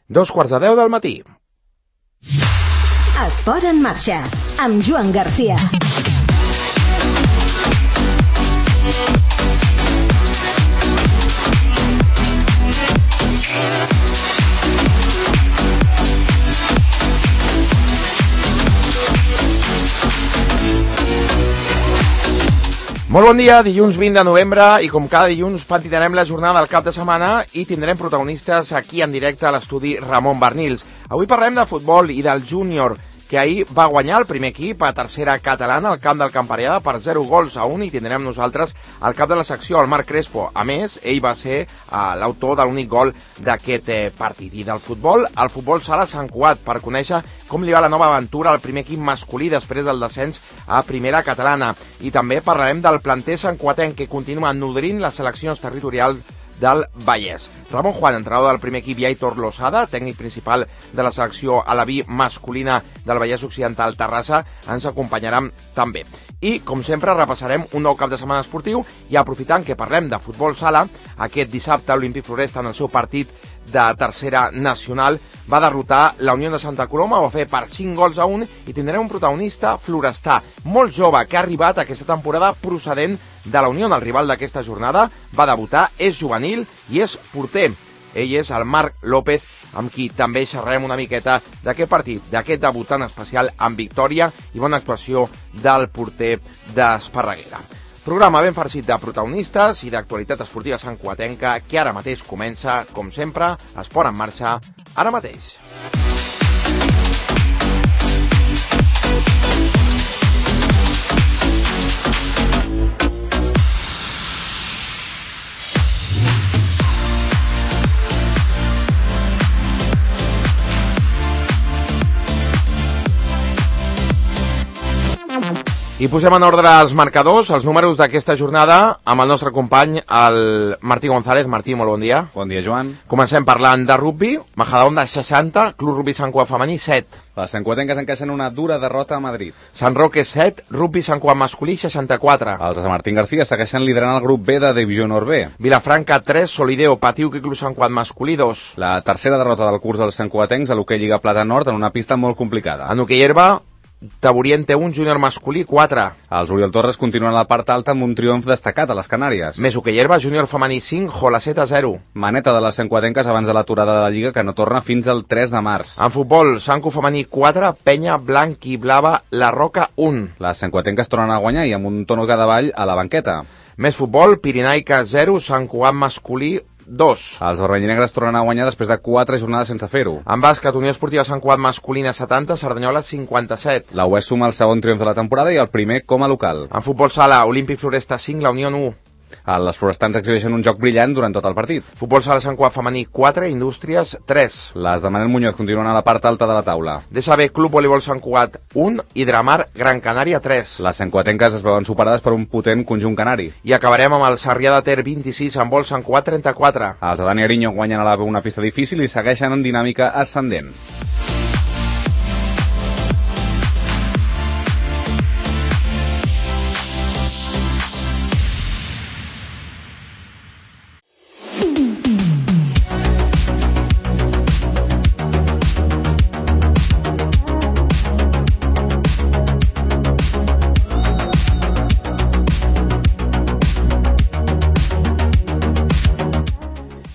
2:45 del matí. Esport en marxa, amb Joan Garcia. Molt bon dia, dilluns 20 de novembre, i com cada dilluns pentinarem la jornada del cap de setmana i tindrem protagonistes aquí en directe a l'estudi Ramon Barnils. Avui parlem de futbol i del júnior, que ahir va guanyar el primer equip a tercera catalana al camp del Camparellada per 0-1 i tindrem nosaltres al cap de la secció, el Marc Crespo. A més, ell va ser l'autor de l'únic gol d'aquest partit. I del futbol, el futbol sala Sant Cugat, per conèixer com li va la nova aventura al primer equip masculí després del descens a primera catalana. I també parlarem del planter santcuatenc, que continua nodrint les seleccions territorials del Vallès. Ramon Juan, entrenador del primer equip, i Aitor Losada, tècnic principal de la selecció alaví masculina del Vallès Occidental Terrassa, ens acompanyaran també. I, com sempre, repassarem un nou cap de setmana esportiu i, aprofitant que parlem de futbol sala, aquest dissabte l'Olímpic Floresta, en el seu partit de tercera nacional, va derrotar la Unió de Santa Coloma, ho va fer per 5-1, i tindrem un protagonista florestà molt jove que ha arribat aquesta temporada procedent de la Unió. El rival d'aquesta jornada va debutar, és juvenil i és porter. Ell és el Marc López, amb qui també xerrarem una miqueta d'aquest partit, d'aquest debut tan especial amb victòria i bona actuació del porter d'Esparreguera. Programa ben farcit de protagonistes i d'actualitat esportiva santcuatenca que ara mateix comença, com sempre, Esport en marxa, ara mateix. I posem en ordre els marcadors, els números d'aquesta jornada, amb el nostre company, el Martí González. Martí, molt bon dia. Bon dia, Joan. Comencem parlant de rugbi. Majadahonda 60, Club Rugbi Sant Cugat femení 7. Les santcuatenques encaixen una dura derrota a Madrid. Sant Roque 7, Rugbi Sant Cugat masculí 64. Els de Sant Martín García segueixen liderant el grup B de Divisió Nord B. Vilafranca 3, Solideo, Patiu i Club Sant Cugat masculí 2. La tercera derrota del curs dels santcuatencs a l'hoquei Lliga Plata Nord en una pista molt complicada. En hoquei herba, Taboriente 1, Júnior masculí 4. Els Oriol Torres continuen a la part alta amb un triomf destacat a les Canàries. Més hoquei herba, Júnior femení 5, Jolaceta 0. Maneta de les santcuatenques abans de l'aturada de la Lliga, que no torna fins al 3 de març. En futbol, Sanco femení 4, Penya Blanc i Blava, La Roca 1. Les santcuatenques tornen a guanyar i amb un tono Cadavall a la banqueta. Més futbol, Pirinaica 0, Sant Cugat masculí 2. Els vermellinegres tornen a guanyar després de 4 jornades sense fer-ho. En bàsquet, Unió Esportiva Sant Cugat masculina 70, Cerdanyola 57. La UES suma el segon triomf de la temporada i el primer com a local. En futbol sala, Olímpic Floresta 5, La Unió 1. Les florestans exhibeixen un joc brillant durant tot el partit. Futbol sala Sant Cugat femení 4, Indústries 3. Les de Manel Muñoz continuen a la part alta de la taula. DSB Club Voleibol Sant Cugat 1 i Dramar Gran Canària 3. Les santcuatenques es veuen superades per un potent conjunt canari. I acabarem amb el Sarrià de Ter 26, en vol Sant Cugat 34. Els de Dani Ariño guanyen a la una pista difícil i segueixen en dinàmica ascendent.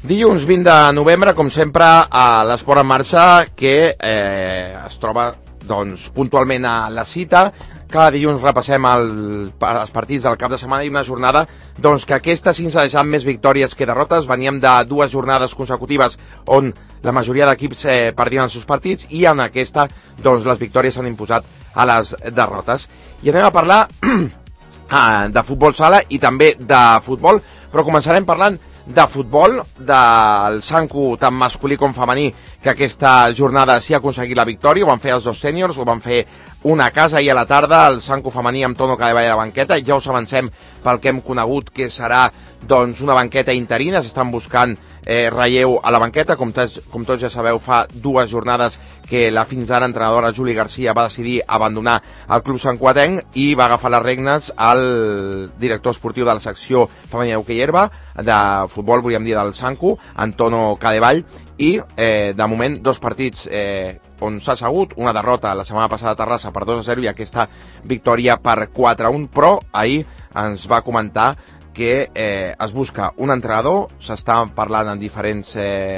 Dilluns 20 de novembre, com sempre, a l'Esport en marxa, que es troba puntualment a la cita. Cada dilluns repassem els partits del cap de setmana i una jornada que aquesta, sense deixar més victòries que derrotes, veníem de 2 jornades consecutives on la majoria d'equips perdien els seus partits, i en aquesta les victòries s'han imposat a les derrotes. I anem a parlar de futbol sala i també de futbol, però començarem parlant de futbol, del Sanco, tant masculí com femení, que aquesta jornada sí ha aconseguit la victòria. Ho van fer els dos sèniors, ho van fer una casa ahir a la tarda, el Sanco femení amb Tono Cadevall a la banqueta, i ja us avancem pel que hem conegut que serà doncs, una banqueta interina, s'estan buscant relleu a la banqueta, com tots ja sabeu, fa 2 jornades que la fins ara entrenadora Juli Garcia va decidir abandonar el club santcugatenc i va agafar les regnes al director esportiu de la secció femenina d'hoquei herba, de futbol, volíem dir, del Sancu, Antonio Cadevall, i de moment 2 partits on s'ha assegut, una derrota la setmana passada a Terrassa per 2-0 i aquesta victòria per 4-1, però ahir ens va comentar que es busca un entrenador, s'està parlant en diferents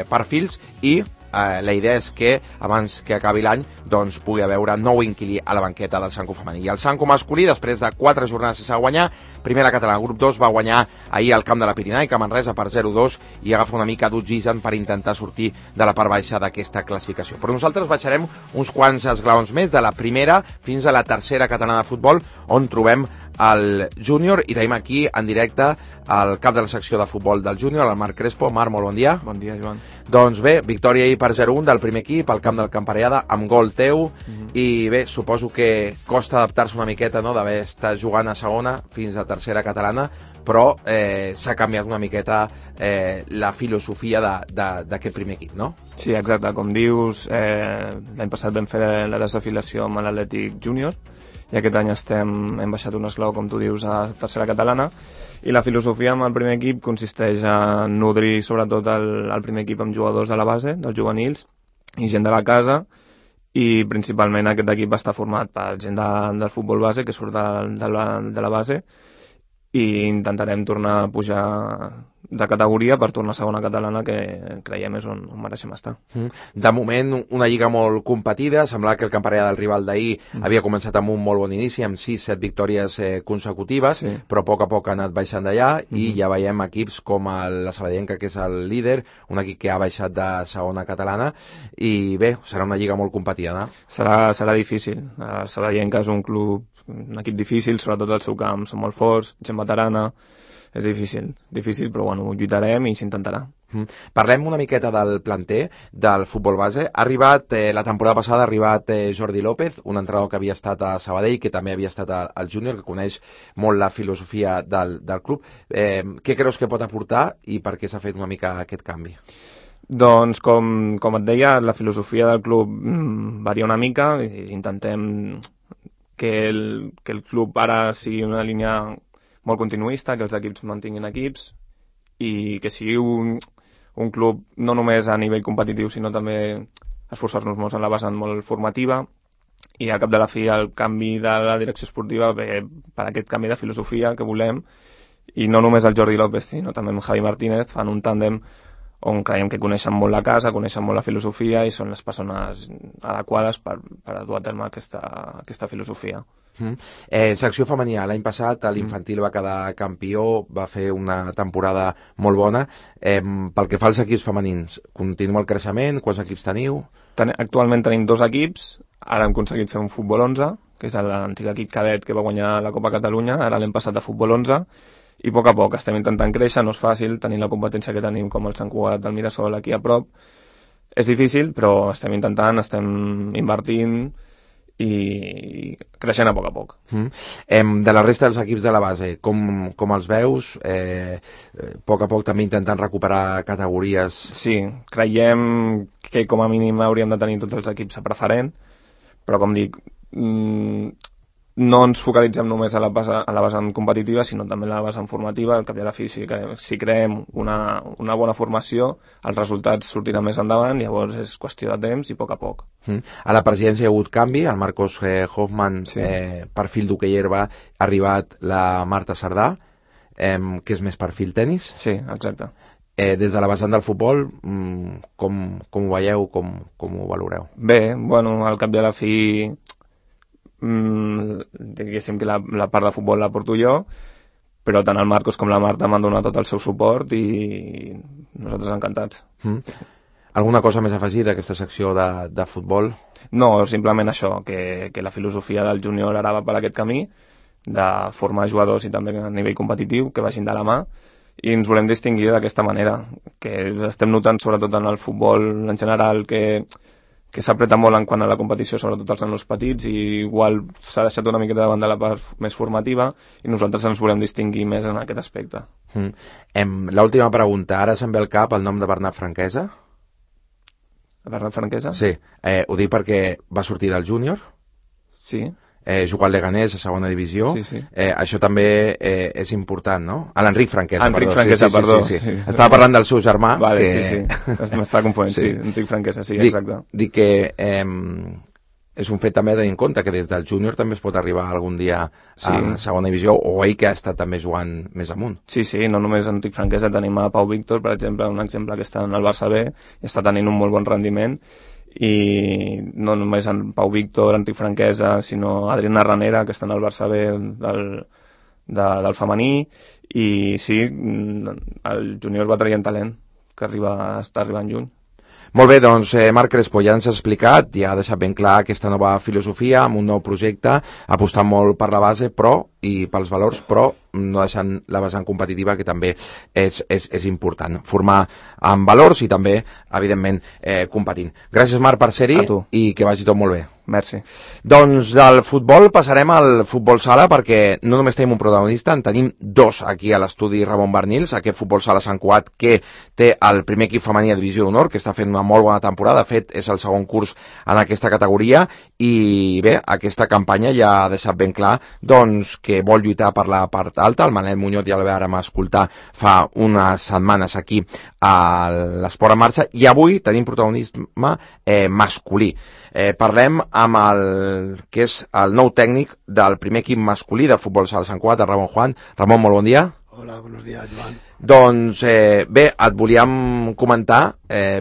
perfils i la idea és que abans que acabi l'any doncs pugui haver nou inquilí a la banqueta del Sancu femení. I el Sancu masculí, després de 4 jornades sense guanyar, primer la catalana, grup 2 va guanyar ahir al camp de la Pirinaica, Manresa, per 0-2 i agafa una mica d'oxigen per intentar sortir de la part baixa d'aquesta classificació. Però nosaltres baixarem uns quants esglaons més de la primera fins a la tercera catalana de futbol, on trobem el júnior i tenim aquí en directe el cap de la secció de futbol del júnior, el Marc Crespo. Marc, molt bon dia. Bon dia, Joan. Doncs bé, victòria ahir per 0-1 del primer equip al camp del Camparellada amb gol teu i bé, suposo que costa adaptar-se una miqueta, no?, d'haver estat jugant a segona fins a tercera catalana, però s'ha canviat una miqueta la filosofia d'aquest primer equip, no? Sí, exacte, com dius, l'any passat vam fer la desafiliació amb l'Atlètic Júnior i aquest any hem baixat un esglaó, com tu dius, a tercera catalana, i la filosofia amb el primer equip consisteix en nodrir sobretot el primer equip amb jugadors de la base, dels juvenils, i gent de la casa, i principalment aquest equip va estar format per gent del futbol base que surt de la base, i intentarem tornar a pujar de categoria per tornar a segona catalana, que creiem és on mereixem estar. De moment, una lliga molt competida, semblava que el Camparellada del rival d'ahir havia començat amb un molt bon inici, amb 6-7 victòries consecutives, sí, però a poc ha anat baixant d'allà, i ja veiem equips com la Sabadellenca, que és el líder, un equip que ha baixat de segona catalana, i bé, serà una lliga molt competida, no? Serà difícil. La Sabadellenca és un equip difícil, sobretot al seu camp, són molt forts, gent veterana. És difícil, però bueno, lluitarem i s'intentarà. Parlem una miqueta del planter del futbol base. La temporada passada ha arribat Jordi López, un entrenador que havia estat a Sabadell, que també havia estat al júnior, que coneix molt la filosofia del club. Què creus que pot aportar i per què s'ha fet una mica aquest canvi? Doncs, com et deia, la filosofia del club varia una mica. Intentem que el club ara sigui una línia molt continuista, que els equips mantinguin equips i que sigui un club no només a nivell competitiu, sinó també esforçar-nos molt en la vessant molt formativa, i al cap de la fi el canvi de la direcció esportiva ve per aquest canvi de filosofia que volem, i no només el Jordi López, sinó també amb Javi Martínez fan un tàndem on creiem que coneixen molt la casa, coneixen molt la filosofia i són les persones adequades per dur a terme aquesta filosofia. Secció femenina, l'any passat l'infantil va quedar campió, va fer una temporada molt bona. Pel que fa als equips femenins, continua el creixement? Quants equips teniu? Actualment tenim 2 equips, ara hem aconseguit fer un futbol 11, que és l'antic equip cadet que va guanyar la Copa Catalunya, ara l'hem passat a futbol 11, i a poc estem intentant créixer. No és fàcil tenir la competència que tenim com el Sant Cugat del Mirasol aquí a prop, és difícil, però estem intentant, estem invertint i creixent a poc. De la resta dels equips de la base, com els veus? A poc també intentant recuperar categories? Sí, creiem que com a mínim hauríem de tenir tots els equips a preferent, però com dic, no ens focalitzem només a la vessant competitiva, sinó també a la vessant formativa. Al cap i a la fi, si creem una bona formació, els resultats sortiran més endavant, llavors és qüestió de temps i a poc. A la presidència hi ha hagut canvi, el Marcos Hoffman, sí, perfil d'hoquei herba, ha arribat la Marta Sardà, que és més perfil tenis. Sí, exacte. Des de la vessant del futbol, com ho veieu, com ho valoreu? Bé, bueno, al cap i a la fi diguéssim que la part de futbol la porto jo, però tant el Marcos com la Marta m'han donat tot el seu suport i nosaltres encantats. Alguna cosa més a afegir d'aquesta secció de futbol? No, simplement això, que la filosofia del júnior ara va per aquest camí, de formar jugadors i també a nivell competitiu, que vagin de la mà, i ens volem distingir d'aquesta manera, que estem notant sobretot en el futbol en general que que s'apreta molt en quant a la competició, sobretot els nanos petits, i igual s'ha deixat una miqueta davant de la part més formativa, i nosaltres ens volem distingir més en aquest aspecte. L'última pregunta, ara se'm ve al cap el nom de Bernat Franquesa? Bernat Franquesa? Sí, ho dic perquè va sortir del júnior. Sí. Jugar al Leganés a segona divisió. Sí. Això també és important, no? L'Enric Franquesa, Enric Franquesa, perdó. Sí. Estava parlant del seu germà. Vale, sí. M'estava confonent, sí. Enric Franquesa, sí, exacte. Dic que és un fet també a tenir en compte que des del júnior també es pot arribar algun dia a segona divisió, o ell que ha estat també jugant més amunt. Sí, no només Enric Franquesa, tenim a Pau Víctor, per exemple, un exemple que està en el Barça B i està tenint un molt bon rendiment, i no només en Pau Víctor, Enric Franquesa, sinó Adriana Ranera, que està en el Barça B del femení, i sí, el júnior va traient talent, que està arribant lluny. Molt bé, doncs Marc Crespo ja ens ha explicat, ja ha deixat ben clar aquesta nova filosofia amb un nou projecte, apostant molt per la base i pels valors, però no deixant la vessant competitiva, que també és important. Formar amb valors i també, evidentment, competint. Gràcies, Marc, per ser-hi i que vagi tot molt bé. Merci. Doncs del futbol passarem al futbol sala, perquè no només tenim un protagonista, en tenim dos aquí a l'estudi Ramon Barnils, aquest futbol sala Sant Cugat que té el primer equip femení a Divisió d'Honor, que està fent una molt bona temporada, de fet és el segon curs en aquesta categoria, i bé, aquesta campanya ja ha deixat ben clar doncs que vol lluitar per la part alta. El Manel Muñoz ja el vàrem escoltar fa unes setmanes aquí a l'Esport en Marxa, i avui tenim protagonisme masculí. Parlem amb el que és el nou tècnic del primer equip masculí de futbol sala Sant Cugat, Ramon Juan. Ramon, molt bon dia. Hola, buenos días, Joan. Doncs bé, et volíem comentar,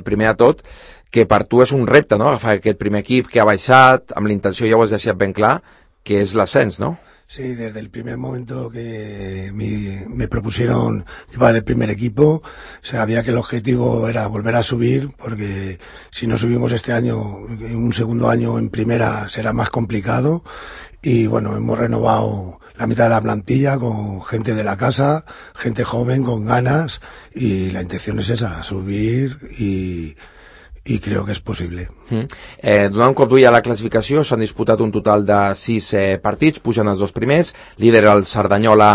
primer de tot, que per tu és un repte, no?, agafar aquest primer equip que ha baixat, amb la intenció, ja ho has deixat ben clar, que es l'ascens, ¿no? Sí, desde el primer momento que me propusieron llevar el primer equipo, sabía que el objetivo era volver a subir, porque si no subimos este año, un segundo año en primera será más complicado. Y bueno, hemos renovado la mitad de la plantilla con gente de la casa, gente joven, con ganas, y la intención es esa, subir i creo que és possible. Donant un cop d'ull a la classificació, s'han disputat un total de 6 partits, pugen els dos primers, líder el Cerdanyola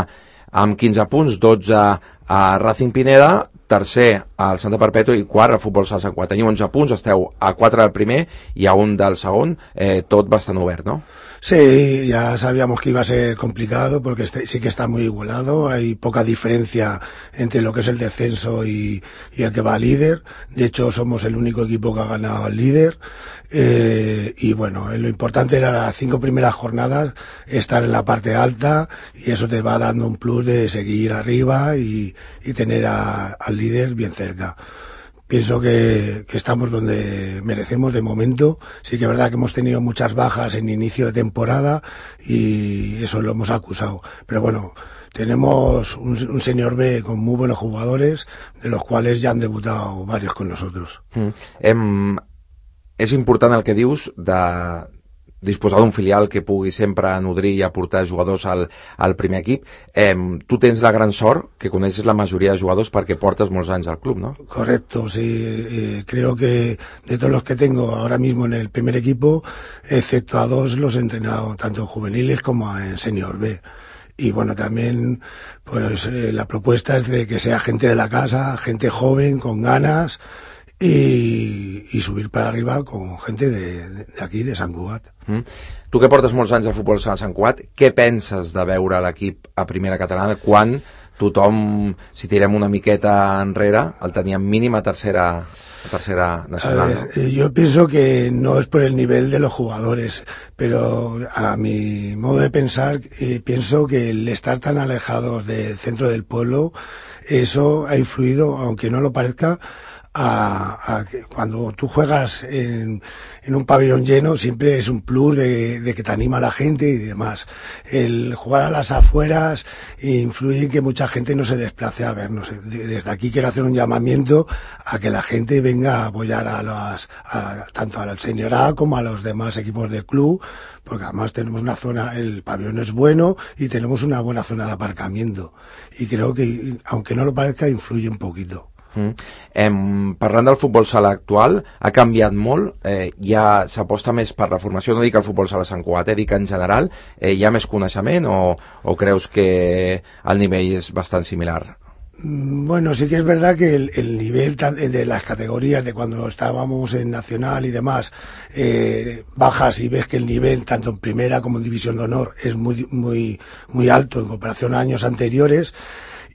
amb 15 punts, 12 a Racing Pineda, tercer al Santa Perpètua i quart al Futbol Sala Sant Cugat. Teniu 11 punts, esteu a 4 del primer i a 1 del segon, tot bastant obert, ¿no? Sí, ya sabíamos que iba a ser complicado porque sí que está muy igualado, hay poca diferencia entre lo que es el descenso y el que va líder. De hecho, somos el único equipo que ha ganado al líder. Y bueno, lo importante era las 5 primeras jornadas estar en la parte alta, y eso te va dando un plus de seguir arriba y tener al líder bien cerca. Pienso que estamos donde merecemos de momento. Sí que es verdad que hemos tenido muchas bajas en inicio de temporada y eso lo hemos acusado. Pero bueno, tenemos un senior B con muy buenos jugadores, de los cuales ya han debutado varios con nosotros. És important el que dius de disposar d'un filial que pugui sempre nodrir i aportar jugadors al primer equip. Tu tens la gran sort que coneixes la majoria de jugadors perquè portes molts anys al club, ¿no? Correcto, sí. Creo que de todos los que tengo ahora mismo en el primer equipo, excepto a 2, los he entrenado tanto en juveniles como en senior B. Y bueno, también pues la propuesta es de que sea gente de la casa, gente joven, con ganas, i subir per arriba con gente d'aquí, de Sant Cugat. Tu que portes molts anys al futbol sala Sant Cugat, què penses de veure l'equip a primera catalana quan tothom, si tirem una miqueta enrere, el teníem mínim a tercera nacional? A ver, yo pienso que no es por el nivel de los jugadores, pero a mi modo de pensar, pienso que el estar tan alejados del centro del pueblo, eso ha influido, aunque no lo parezca, a que cuando tú juegas en un pabellón lleno siempre es un plus de que te anima a la gente y demás. El jugar a las afueras influye en que mucha gente no se desplace a vernos. Desde aquí quiero hacer un llamamiento a que la gente venga a apoyar tanto al Senior A como a los demás equipos del club, porque además tenemos una zona, el pabellón es bueno y tenemos una buena zona de aparcamiento, y creo que, aunque no lo parezca, influye un poquito. Parlant del futbol sala actual, ha canviat molt, ja s'aposta més per la formació, no dic el futbol sala Sant Cugat, dic en general, hi ha més coneixement o creus que el nivell és bastant similar? Bueno, sí que es verdad que el nivel de las categorías de cuando estábamos en Nacional y demás, bajas y ves que el nivel tanto en primera como en División de Honor es muy alto en comparación a años anteriores.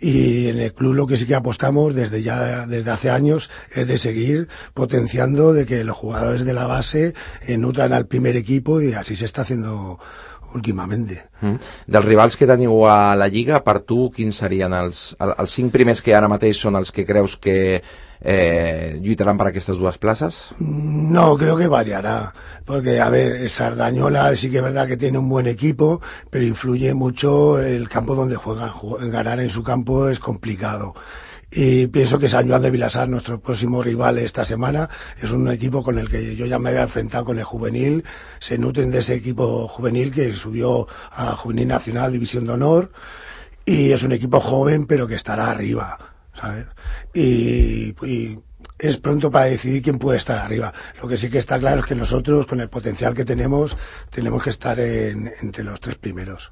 Y en el club lo que sí que apostamos desde hace años es de seguir potenciando, de que los jugadores de la base nutran al primer equipo, y así se está haciendo últimamente. Dels rivals que teniu a la Lliga, per tu, quins serien els 5 primers que ara mateix són els que creus que lluitaran per aquestes dues places? No, creo que variará, porque a ver, Sardañola sí que es verdad que tiene un buen equipo, pero influye mucho el campo donde juegan. Ganar en su campo es complicado. Y pienso que San Joan de Vilasar, nuestro próximo rival esta semana, es un equipo con el que yo ya me había enfrentado con el juvenil. Se nutren de ese equipo juvenil que subió a Juvenil Nacional, División de Honor, y es un equipo joven pero que estará arriba, ¿sabes? Y es pronto para decidir quién puede estar arriba. Lo que sí que está claro es que nosotros, con el potencial que tenemos que estar entre los 3 primeros.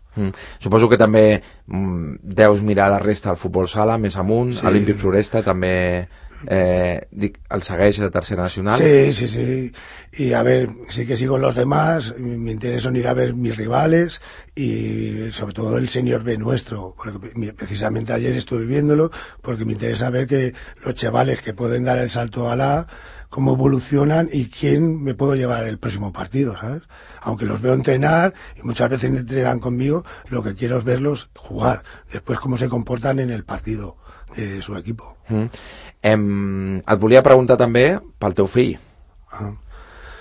Suposo que també deus mirar la resta del futbol sala, més amunt, sí. Olímpic Floresta també el segueix de tercera nacional. Sí. Y a ver, sí que sigo los demás, me interesa ir a ver mis rivales y sobre todo el Senior B nuestro, porque precisamente ayer estuve viéndolo, porque me interesa ver que los chavales que pueden dar el salto a la A, cómo evolucionan y quién me puedo llevar el próximo partido, ¿sabes? Aunque los veo entrenar y muchas veces entrenan conmigo, lo que quiero es verlos jugar, después cómo se comportan en el partido de su equipo. Et volia preguntar també pel teu fill.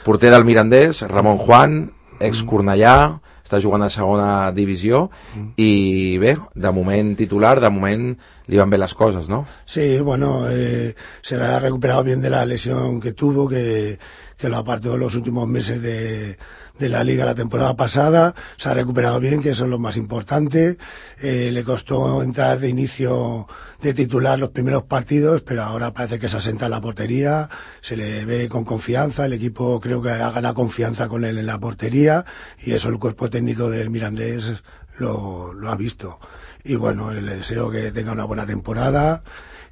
Porter del Mirandés, Ramon Juan, ex-Cornellà, està jugant a segona divisió i bé, de moment titular, de moment li van bé les coses, ¿no? Sí, bueno, se ha recuperado bien de la lesión que tuvo, que lo apartó los últimos meses de la Liga la temporada pasada. Se ha recuperado bien, que eso es lo más importante. Le costó entrar de inicio de titular los primeros partidos, pero ahora parece que se asenta en la portería, se le ve con confianza, el equipo creo que ha ganado confianza con él en la portería, y eso el cuerpo técnico del Mirandés lo ha visto. Y bueno, le deseo que tenga una buena temporada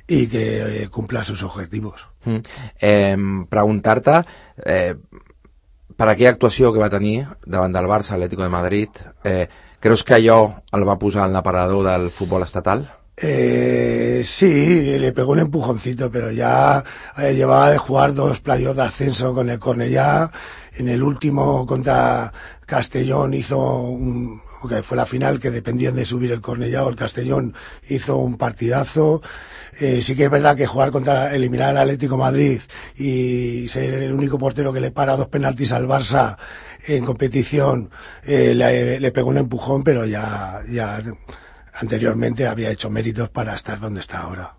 y que cumpla sus objetivos. Preguntar-te per aquella actuació que va tenir davant del Barça, Atlético de Madrid, creus que allò el va posar en l'aparador del futbol estatal? Sí, le pegó un empujoncito, pero ya llevaba de jugar 2 playoffs de ascenso con el Cornellá. En el último contra Castellón que fue la final, que dependían de subir el Cornellá o el Castellón, hizo un partidazo. Sí que es verdad que eliminar al Atlético de Madrid y ser el único portero que le para 2 penaltis al Barça en competición, le pegó un empujón, pero ya anteriormente había hecho méritos para estar donde está ahora.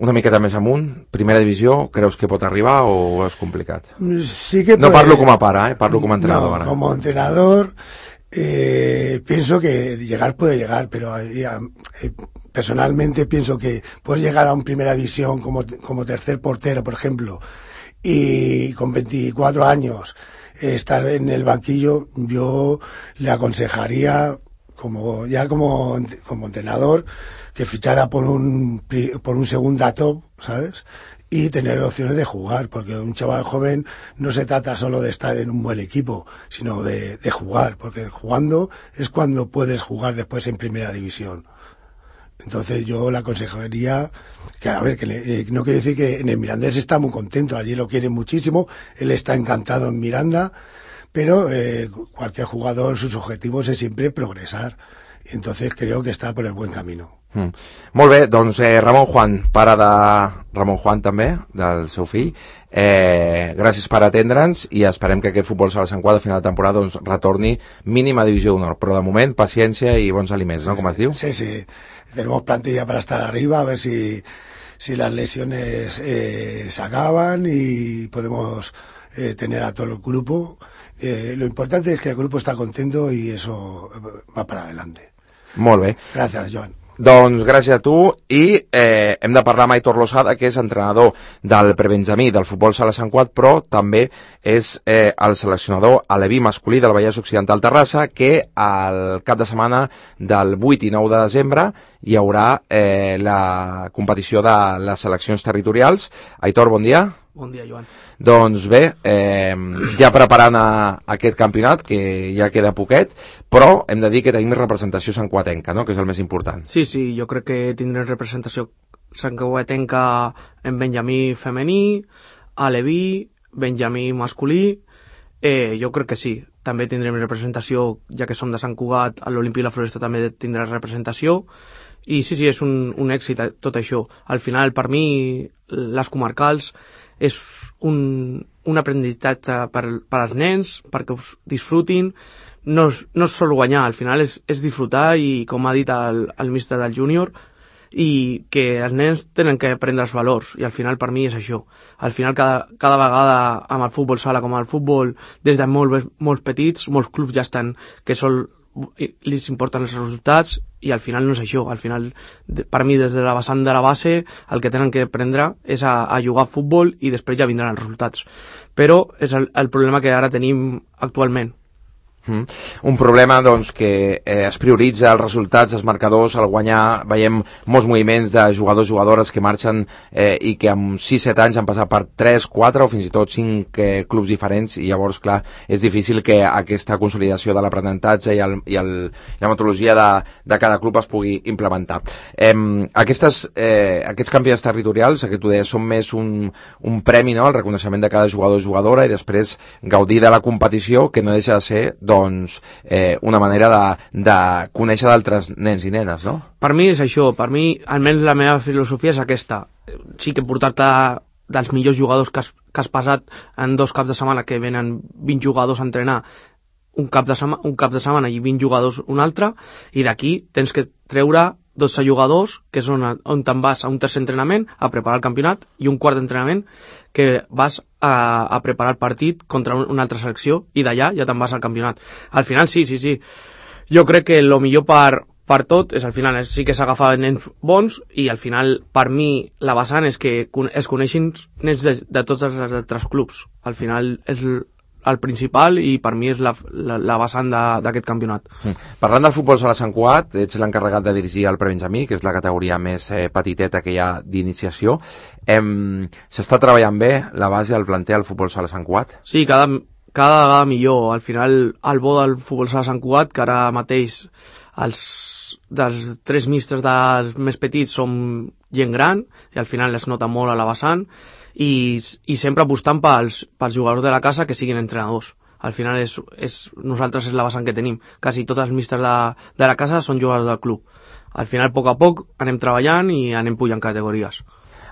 Una miqueta més amunt, primera divisió, creus que pot arribar o és complicat? Sí que no parlo com a pare, parlo com a entrenador. No, como entrenador pienso que llegar puede llegar, pero personalmente pienso que puedes llegar a una primera división como tercer portero, por ejemplo, y con 24 años estar en el banquillo. Yo le aconsejaría como entrenador que fichara por un segunda top, ¿sabes? Y tener opciones de jugar, porque un chaval joven no se trata solo de estar en un buen equipo, sino de jugar, porque jugando es cuando puedes jugar después en primera división. Entonces yo le aconsejaría que, a ver, que no quiere decir que en el Mirandés está muy contento, allí lo quieren muchísimo, él está encantado en Miranda, pero cualquier jugador, sus objetivos es siempre progresar, y entonces creo que está por el buen camino. Molt bé, doncs Ramon Juan, pare de Ramon Juan també, del seu fill, gràcies per atendre'ns i esperem que aquest futbol sala Sant Cugat a final de temporada doncs, retorni mínima divisió d'honor, però de moment paciència i bons aliments, ¿no? Com es diu? Sí, tenemos plantilla para estar arriba, a ver si las lesiones se acaban y podemos tener a todo el grupo. Lo importante es que el grupo está contento y eso va para adelante. Molt bé. Gracias, Joan. Doncs gràcies a tu i hem de parlar amb Aitor Losada, que és entrenador del prebenjamí del futbol sala Sant Cugat, però també és el seleccionador aleví masculí del Vallès Occidental Terrassa, que al cap de setmana del 8 i 9 de desembre hi haurà la competició de les seleccions territorials. Aitor, bon dia. Bon dia, Joan. Doncs bé, ja preparant aquest campionat, que ja queda poquet, però hem de dir que tenim representació santcugatenca, no?, que és el més important. Sí, jo crec que tindrem representació santcugatenca en benjamí femení, aleví, benjamí masculí, jo crec que sí. També tindrem representació, ja que som de Sant Cugat, a l'Olímpic La Floresta també tindrà representació, i sí, és un èxit tot això. Al final, per mi, les comarcals és un aprenentatge per als nens, perquè us disfrutin. No és sol guanyar, al final és disfrutar, i com ha dit el míster del júnior, i que els nens tenen que aprendre els valors, i al final per mi és això. Al final cada vegada amb el futbol sala com el futbol, des de molts petits, molts clubs ja estan que li importen els resultats, i al final no és això. Al final, per mi, des de la vessant de la base, el que tenen que aprendre és a jugar a futbol, i després ja vindran els resultats. Però és el problema que ara tenim actualment. Un problema, doncs, que es prioritza els resultats, els marcadors, al guanyar. Veiem molts moviments de jugadors, jugadores que marxen i que amb 6-7 anys han passat per 3, 4 o fins i tot 5 clubs diferents, i llavors, clar, és difícil que aquesta consolidació de l'aprenentatge i la metodologia de cada club es pugui implementar. Aquests campionats territorials, que tu deies, són més un premi, no?, el reconeixement de cada jugador o jugadora, i després gaudir de la competició, que no deixa de ser, doncs, una manera de conèixer d'altres nens i nenes, no? Per mi és això. Per mi, almenys la meva filosofia és aquesta. Sí que portar-te dels millors jugadors que has passat en 2 caps de setmana, que venen 20 jugadors a entrenar un cap de setmana i 20 jugadors un altre, i d'aquí tens que treure 12 jugadors, que és on te'n vas a un tercer entrenament a preparar el campionat, i un quart d'entrenament que vas a preparar el partit contra una altra selecció, i d'allà ja te'n vas al campionat. Al final sí. Jo crec que el millor per tot és, al final, sí que s'agafa nens bons, i al final, per mi, la vessant és que es coneixin nens de tots els altres clubs. Al final és el principal, i per mi és la vessant d'aquest campionat. Parlant del futbol sala Sant Cugat, ets l'encarregat de dirigir el prebenjamí, que és la categoria més petiteta que hi ha d'iniciació. S'està treballant bé la base del planter al futbol sala Sant Cugat? Sí, cada vegada millor. Al final, el bo del futbol sala Sant Cugat, que ara mateix dels 3 místers dels més petits som gent gran, i al final es nota molt a la vessant, i sempre apostant pels jugadors de la casa que siguin entrenadors. Al final nosaltres és la vessant que tenim. Quasi tots els místers de la casa són jugadors del club. Al final, a poc a poc, anem treballant i anem pujant categories.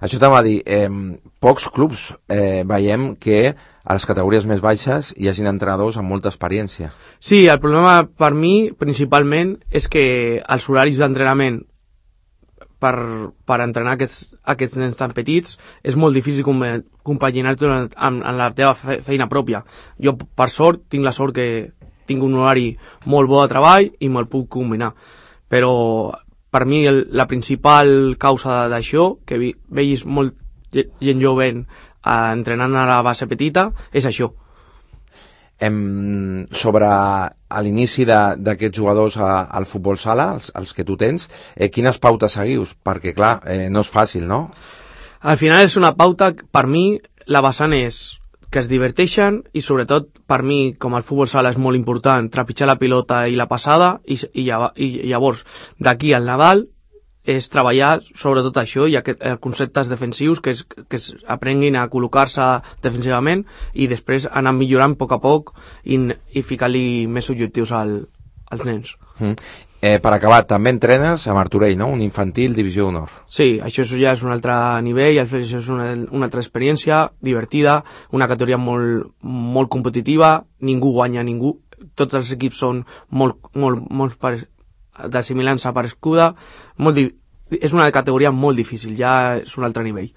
Això t'ha de dir, pocs clubs veiem que a les categories més baixes hi hagin entrenadors amb molta experiència. Sí, el problema per mi, principalment, és que els horaris d'entrenament per entrenar aquests nens tan petits és molt difícil compaginar-ho amb la teva feina pròpia. Jo, per sort, tinc la sort que tinc un horari molt bo de treball i me'l puc combinar. Però per mi la principal causa d'això, que veis molt gent jovent entrenant a la base petita, és això. Sobre l'inici d'aquests jugadors al futbol sala, els que tu tens, quines pautes seguius? Perquè, clar, no és fàcil, no? Al final és una pauta, per mi, la vessant és que es diverteixen, i sobretot, per mi, com el futbol sala és molt important, trepitjar la pilota i la passada, i llavors, d'aquí al Nadal, és treballar sobretot això i els conceptes defensius, que aprenguin a col·locar-se defensivament, i després anar millorant a poc i ficar-li més objectius als nens. Per acabar, també entrenes a Martorell, no? Un infantil, divisió d'honor. Sí, això ja és un altre nivell, això és una altra experiència divertida, una categoria molt competitiva, ningú guanya ningú, tots els equips són molt de similança parescuda, és una categoria molt difícil, ja és un altre nivell.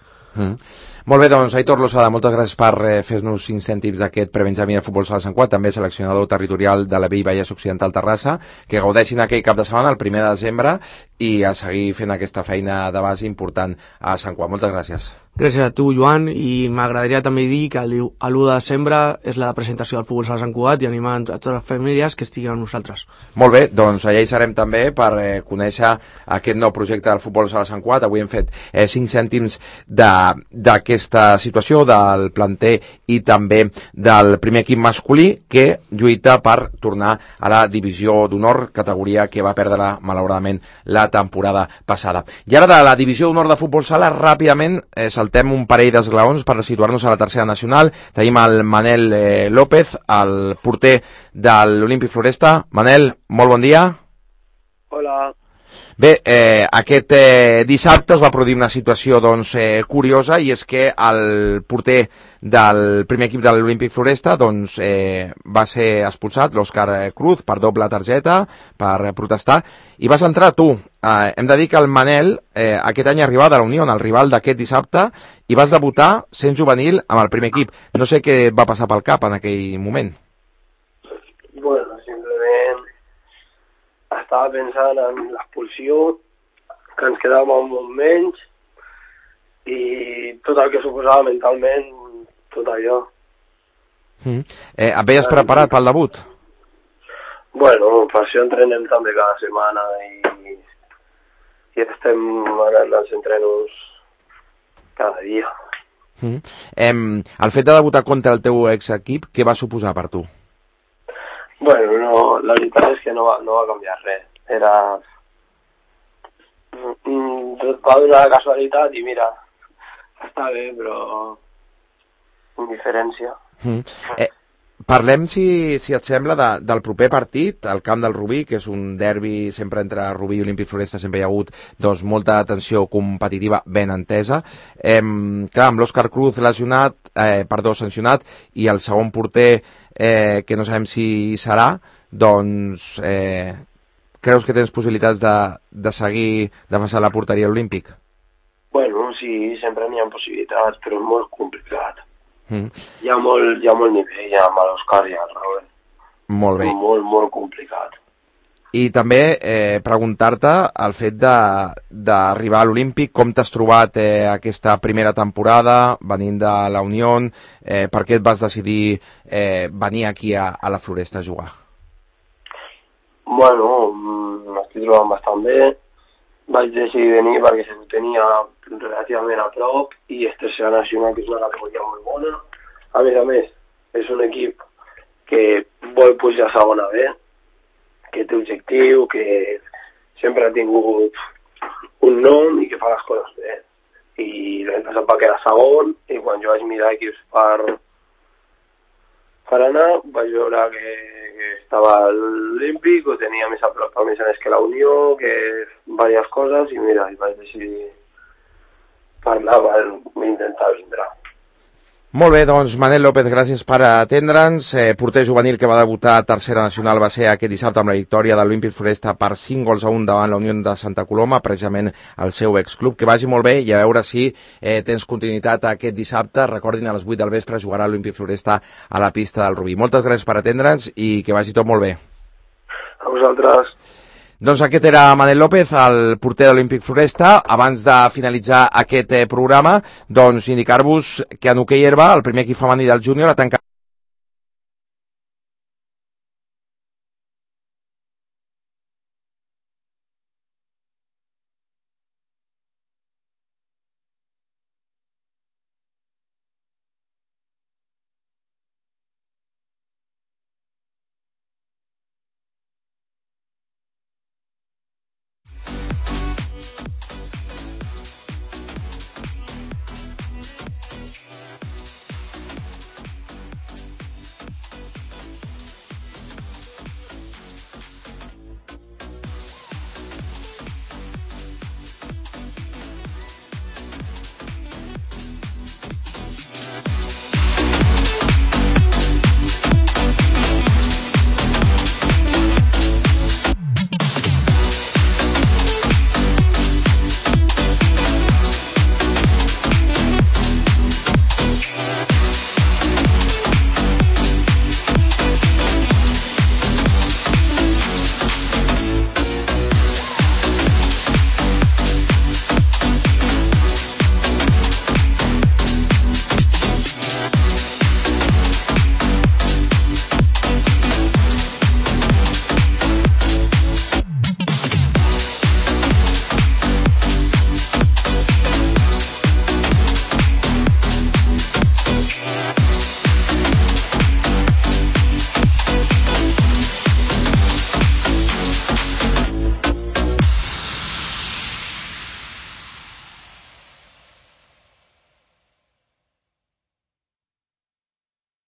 Molt bé, doncs, Aitor Losada, moltes gràcies per fer-nos 5 cèntims d'aquest prebenjamí de futbol sala Sant Cugat, també seleccionador territorial de la Vallès Occidental Terrassa, que gaudeixin aquell cap de setmana, el 1 de desembre, i a seguir fent aquesta feina de base important a Sant Cugat. Moltes gràcies. Gràcies a tu, Joan, i m'agradaria també dir que l'1 de desembre és la presentació del futbol sala Sant Cugat i animar a totes les famílies que estiguin amb nosaltres. Molt bé, doncs allà hi serem també per conèixer aquest nou projecte del futbol sala Sant Cugat. Avui hem fet 5 cèntims d'aquesta situació del planter i també del primer equip masculí que lluita per tornar a la divisió d'honor, categoria que va perdre malauradament la temporada passada. I ara de la divisió d'honor de futbol sala ràpidament saltem un parell d'esglaons per situar-nos a la tercera nacional. Tenim el Manel López, el porter de l'Olímpic Floresta. Manel, molt bon dia. Hola. Bé, aquest dissabte es va produir una situació doncs, curiosa, i és que el porter del primer equip de l'Olímpic Floresta doncs, va ser expulsat, l'Òscar Cruz, per doble targeta, per protestar, i vas entrar tu. Hem de dir que el Manel aquest any arribava de la Unió, el rival d'aquest dissabte, i vas debutar sent juvenil amb el primer equip. No sé què va passar pel cap en aquell moment. Bueno, simplement estava pensant en l'expulsió, que ens quedàvem molt menys, i tot el que suposava mentalment, tot allò. Et veies preparat pel debut? Bueno, per això entrenem també cada setmana i estem anant als entrenos cada dia. El fet de debutar contra el teu exequip, què va suposar per tu? Bueno, no, la veritat és que no va canviar res. Va donar la casualitat i mira, està bé, però indiferència. Parlem, si et sembla, del proper partit, al camp del Rubí, que és un derbi sempre entre Rubí i Olímpic Floresta, sempre hi ha hagut doncs, molta tensió competitiva ben entesa. Clar, amb l'Òscar Cruz sancionat, i el segon porter, que no sabem si serà, doncs creus que tens possibilitats de seguir defensant la porteria olímpic? Bueno, sí, sempre n'hi ha possibilitats, però és molt complicat. Hi ha molt nivell amb l'Òscar i el Raúl. Molt bé. Molt complicat. I també preguntar-te el fet d'arribar a l'Olímpic, com t'has trobat aquesta primera temporada, venint de la Unió, per què et vas decidir venir aquí a la Floresta a jugar? Bueno, m'estic trobant bastant bé. Vaig decidir venir perquè se ho tenia relativament a prop i és tercera nacional, que és una categoria molt bona. A més, és un equip que vol pujar a segona B, que té objectiu, que sempre ha tingut un nom i que fa les coses bé. I l'any passat va quedar segon, i quan jo vaig mirar equips per anar, vaig veure que estava a l'Olímpic, ho tenia més a prop, més que la Unió, que diverses coses, i mira, vaig decidir parlar per intentar vindre. Molt bé, doncs Manel López, gràcies per atendre'ns. Porter juvenil que va debutar a tercera nacional va ser aquest dissabte amb la victòria de l'Olímpic Floresta per 5-1 davant la Unió de Santa Coloma, precisament el seu exclub. Que vagi molt bé i a veure si tens continuïtat aquest dissabte. Recordin, a les 8 del vespre jugarà l'Olímpic Floresta a la pista del Rubí. Moltes gràcies per atendre'ns i que vagi tot molt bé. A vosaltres. Doncs aquest era Manel López, el porter de l'Olímpic Floresta. Abans de finalitzar aquest programa, doncs indicar-vos que en hoquei herba, el primer equip femení del júnior ha tancat